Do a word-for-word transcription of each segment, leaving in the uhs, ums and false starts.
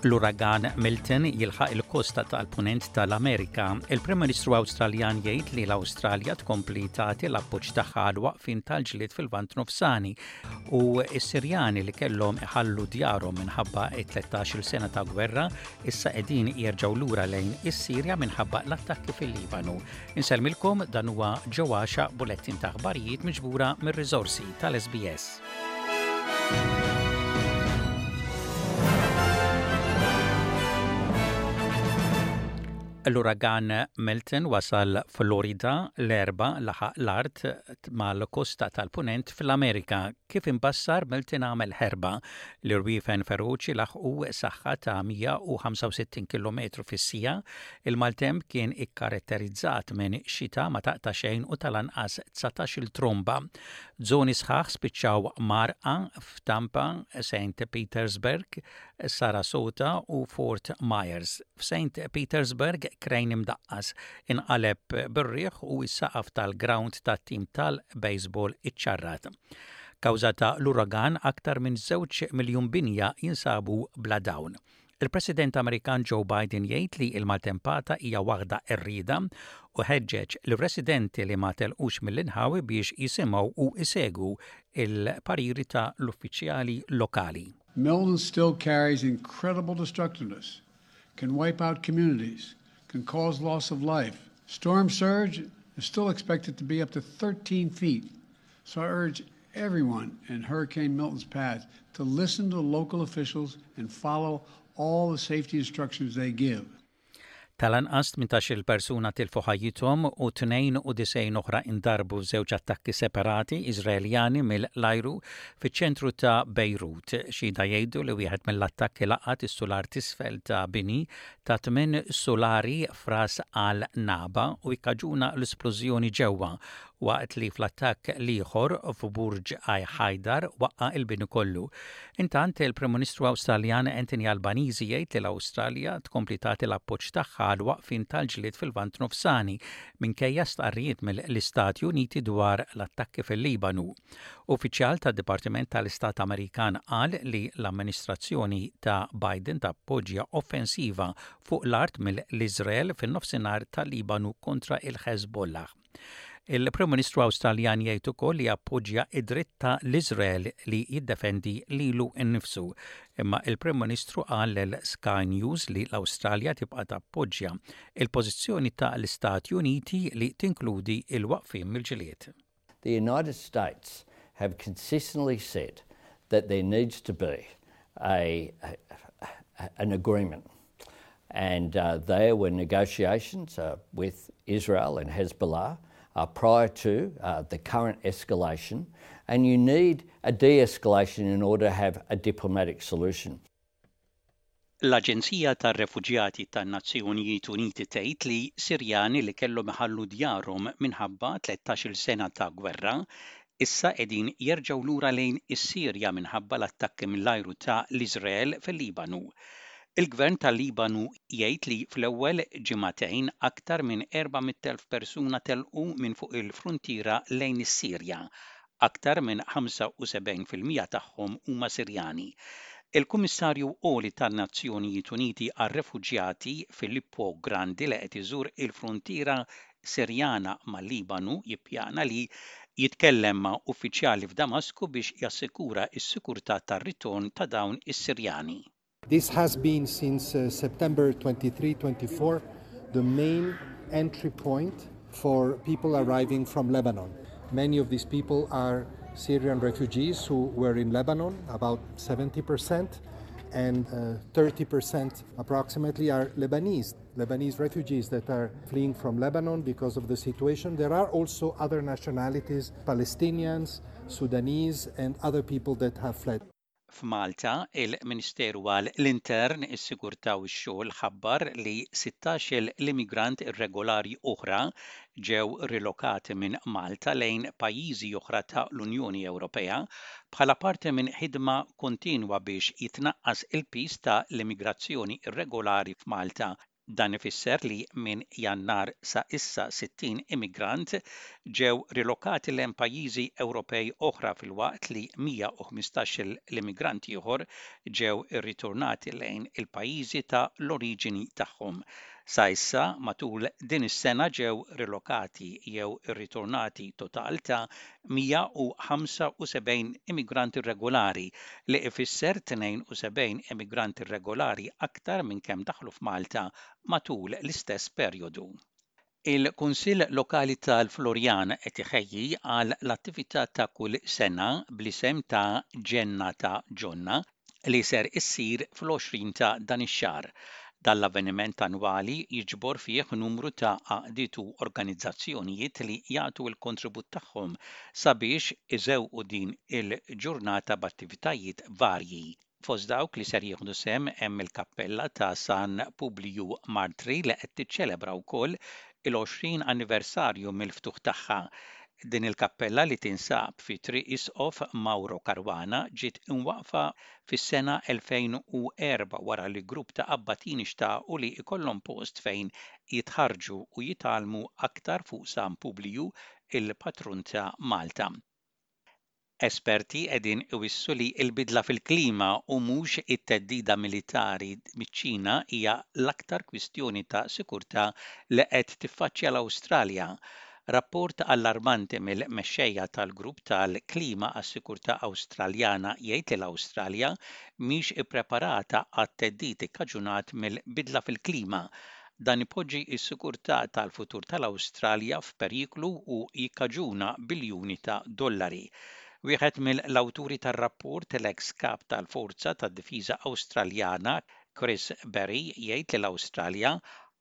L-uragan Milton jilħaq il-kosta tal-punent tal-Amerika. Il-Prim Ministru Awstraljan jgħid li l-Awstralja tkompli tagħti l-appoġġ tagħha għal waqfin tal-ġlied fil-Lvant Nofsani u s-Sirjani li kellhom iħallu djarhom minħabba tlettax-il sena ta' gwerra issa qegħdin jerġgħu lura lejn is-Sirja minħabba l-attakki fil-Libanu. Insellmilkom, dan huwa ġewwaxa bulettin ta' aħbarijiet miġbura mir-riżorsi tal-S B S. L-uragan Milton wasal Florida l-Erbgħa, laħaq l-art mal-kosta tal-punent fl-Amerika. Kif imbassar, Milton għamel ħerba. L-irwiefen feroċi laħqu saħħa ta' mija u ħamsa u sittin kilometru fis-siegħa. Il-maltemp kien ikkaratterizzat minn xita ma taqta' xejn u tal-anqas dsatax-il tromba. Zoni sħaħ spiċċaw mgħarrqa f'Tampa, Saint Petersburg, Sarasota u Fort Myers. F'Saint Petersburg, krejn imdaqqas inqaleb bir-riħ u s-saqaf tal-ground tat-tim tal-baseball iċċarrat. Kawża ta' l-uragan, aktar minn żewġ miljun binja jinsabu bla dawl. Il-President Amerikan Joe Biden jgħid li il-maltempata hija waħda qerrieda u ħeġġeġ lir-residenti li ma telqux mill-inħawi biex jisimgħu u isegwu il-pariri ta' l-uffiċjali lokali. Milton still carries incredible destructiveness, can wipe out communities, can cause loss of life. Storm surge is still expected to be up to thirteen feet. So I urge everyone in Hurricane Milton's path to listen to local officials and follow all the safety instructions they give. Tal-anqas tmintax-il persuna tilfu ħajjithom u tnejn u disgħin oħra indarbu f'żewġ attakki separati Iżraeljani mill-ajru fiċ-ċentru ta' Beirut. Xhieda jgħidu li wieħed mill-attakki laqat is-sular t'isfel ta' bini ta' tmien sulari f'Ras al-Naba u ikkaġuna l-esplużjoni ġewwa, waqt li fl-attakk l-ieħor f'Burġ Haidar waqqa il-bini kollu. Intant, il-Prim Ministru Awstraljan Anthony Albanese jgħid li l-Awstralja tkompli tagħti l-appoġġ tagħha għal waqfin tal-ġlied fil-Lvant Nofsani minkejja stqarrijiet mill-Istati Uniti dwar l-attakki fil-Libanu. Uffiċjal tad-Dipartiment tal-Istat Amerikan qal li l-amministrazzjoni ta' Biden tappoġġja offensiva fuq l-art mill-Iżrael fin-nofsinhar tal-Libanu kontra il-Hezbollah. Il-Prim Ministru Awstraljan jgħid ukoll li appoġġja id-dritt ta' l-Iżrael li jiddefendi lilu nnifsu. Imma il-Prim Ministru qal lil Sky News li l-Awstralja tibqa' tappoġġja il-pożizzjoni ta' l-Istati Uniti li tinkludi il-waqfien mill-ġlied. The United States have consistently said that there needs to be a, a an agreement. And uh, there were negotiations uh, with Israel and Hezbollah uh, prior to uh, the current escalation, and you need a de escalation in order to have a diplomatic solution. L-Aġenzija tar-Refuġjati tan-Nazzjonijiet Uniti tgħid li Sirjani li kellhom iħallu djarhom minħabba tlettax-il sena ta' gwerra issa qegħdin jerġgħu lura lejn is-Sirja minħabba l-attakki mill-ajru ta' l-Iżrael fil-Libanu. Il-Gvern tal-Libanu jgħid li fl-ewwel ġimagħtejn aktar minn erba' mitt elf persuna telqu minn fuq il-fruntiera lejn is-Sirja. Aktar minn ħamsa u sebgħin fil-mija tagħhom huma Sirjani. Il-Kummissarju Għoli tan-Nazzjonijiet Uniti għar-Refuġjati Filippo Grandi, li qed iżur il-fruntiera Sirjana mal-Libanu, jippjana li jitkellem ma' uffiċjali f'Damasku biex jassikura s-sikurtà tar-ritorn ta' dawn is-Sirjani. This has been since uh, September twenty-three twenty-four the main entry point for people arriving from Lebanon. Many of these people are Syrian refugees who were in Lebanon, about seventy percent, and uh, thirty percent approximately are Lebanese, Lebanese refugees that are fleeing from Lebanon because of the situation. There are also other nationalities, Palestinians, Sudanese, and other people that have fled. F'Malta, il-Ministeru għal l-Intern, is-Sigurtà u x-Xogħol ħabbar li sittax-il immigrant irregolari oħra ġew rilokati minn Malta lejn pajjiżi oħra ta' l-Unjoni Ewropea bħala parti minn ħidma kontinwa biex jitnaqqas il-piż ta' l-immigrazzjoni irregolari f'Malta. Dan ifisser li minn Jannar sa issa sittin immigrant ġew rilokati lejn pajjiżi Ewropej oħra, filwaqt li mija u ħmistax l-immigrant ieħor ġew irritornati lejn il-pajjiżi ta' l-oriġini tagħhom. Sa issa matul din is-sena ġew rilokati jew irritornati total ta' mija u ħamsa u sebgħin immigranti irregolari, li ifisser tnejn u sebgħin immigranti irregolari aktar minn kemm daħlu f'Malta matul l-istess perjodu. Il-Kunsill Lokali tal-Floriana qed iħejji għal l-attività ta' kull sena bl-isem ta' Ġenna ta' Ġonna li ser issir fl-għoxrin ta' dan ix-xahar. Dan l-avveniment annwali jiġbor fih numru ta' għaqdiet u organizzazzjonijiet li jagħtu l-kontribut tagħhom sabiex iżewqu din il-ġurnata b'attivitajiet varji. Fost dawk li ser jieħdu sehem hemm il-Kappella ta' San Publiju Martri, li qed tiċċelebra wkoll il-għoxrin anniversarju mill-ftuħ tagħha. Din il-kappella, li tinsab fi Triq Isqof Mauro Caruana, ġiet imwaqfa fis-sena elfejn u erbgħa wara li grupp ta' abbatini xtaqu li ikollhom post fejn jitħarġu u jitgħallmu aktar fuq San Publiju, il-patrun ta' Malta. Esperti qegħdin iwissu li l-bidla fil-klima u mhux it-theddida militari miċ-Ċina hija l-aktar kwistjoni ta' sikurtà li qed tiffaċċja l-Awstralja. Rapport allarmanti mill-mexxejja tal-grupp tal-klima għas-sikurtà Awstraljana jgħid li l-Awstralja mhix ippreparata għat-theddid ikkaġunat mill-bidla fil-klima. Dan ipoġġi s-sikurtà tal-futur tal-Awstralja f'periklu u jikkaġuna biljuni ta' dollari. Wieħed mill-awturi tar-rapport, l-ex kap tal-Forza tad-Difiża Awstraljana Chris Berry, jgħid li l-Awstralja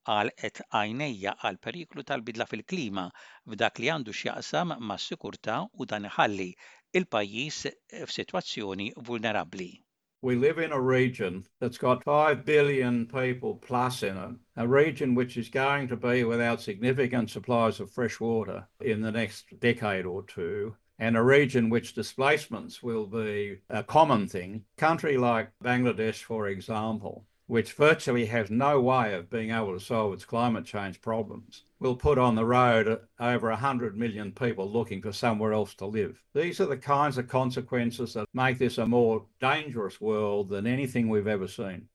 għalqet għajnejha għal periklu tal-bidla fil-klima f'dak li għandu x'jaqsam mas-sikurtà, u dan iħalli il-pajjiż f'sitwazzjoni vulnerabbli. We live in a region that's got five billion people plus in it, a region which is going to be without significant supplies of fresh water in the next decade or two, and a region which displacements will be a common thing. Country like Bangladesh, for example, which virtually has no way of being able to solve its climate change problems, will put on the road over one hundred million people looking for somewhere else to live. These are the kinds of consequences that make this a more dangerous world than anything we've ever seen.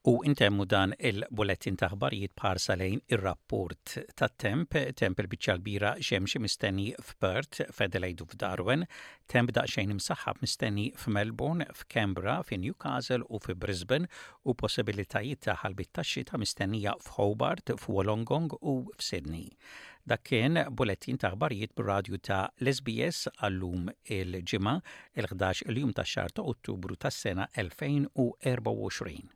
U intemmu dan il-bulletin ta' aħbarijiet b'ħarsa lejn ir-rapport tat-temp. Temp il-biċċa kbira xemxi mistenni f'Perth, f'Adelaide u f'Darwin, temp daqsxejn imsaħħab mistenni f'Melbourne, f'Canberra, f'Newcastle u f'Brisbane u possibilitajiet ta' ħalbiet tax-xita mistennija f'Hobart, f'Wollongong u f'Sydney. Dak kien bulletin ta' aħbarijiet bir-radju ta' l-S B S għallum, il-Ġimgħa, il-ħdax il-jum tax-xahar ta' Ottubru tas-sena elfejn u erbgħa u għoxrin.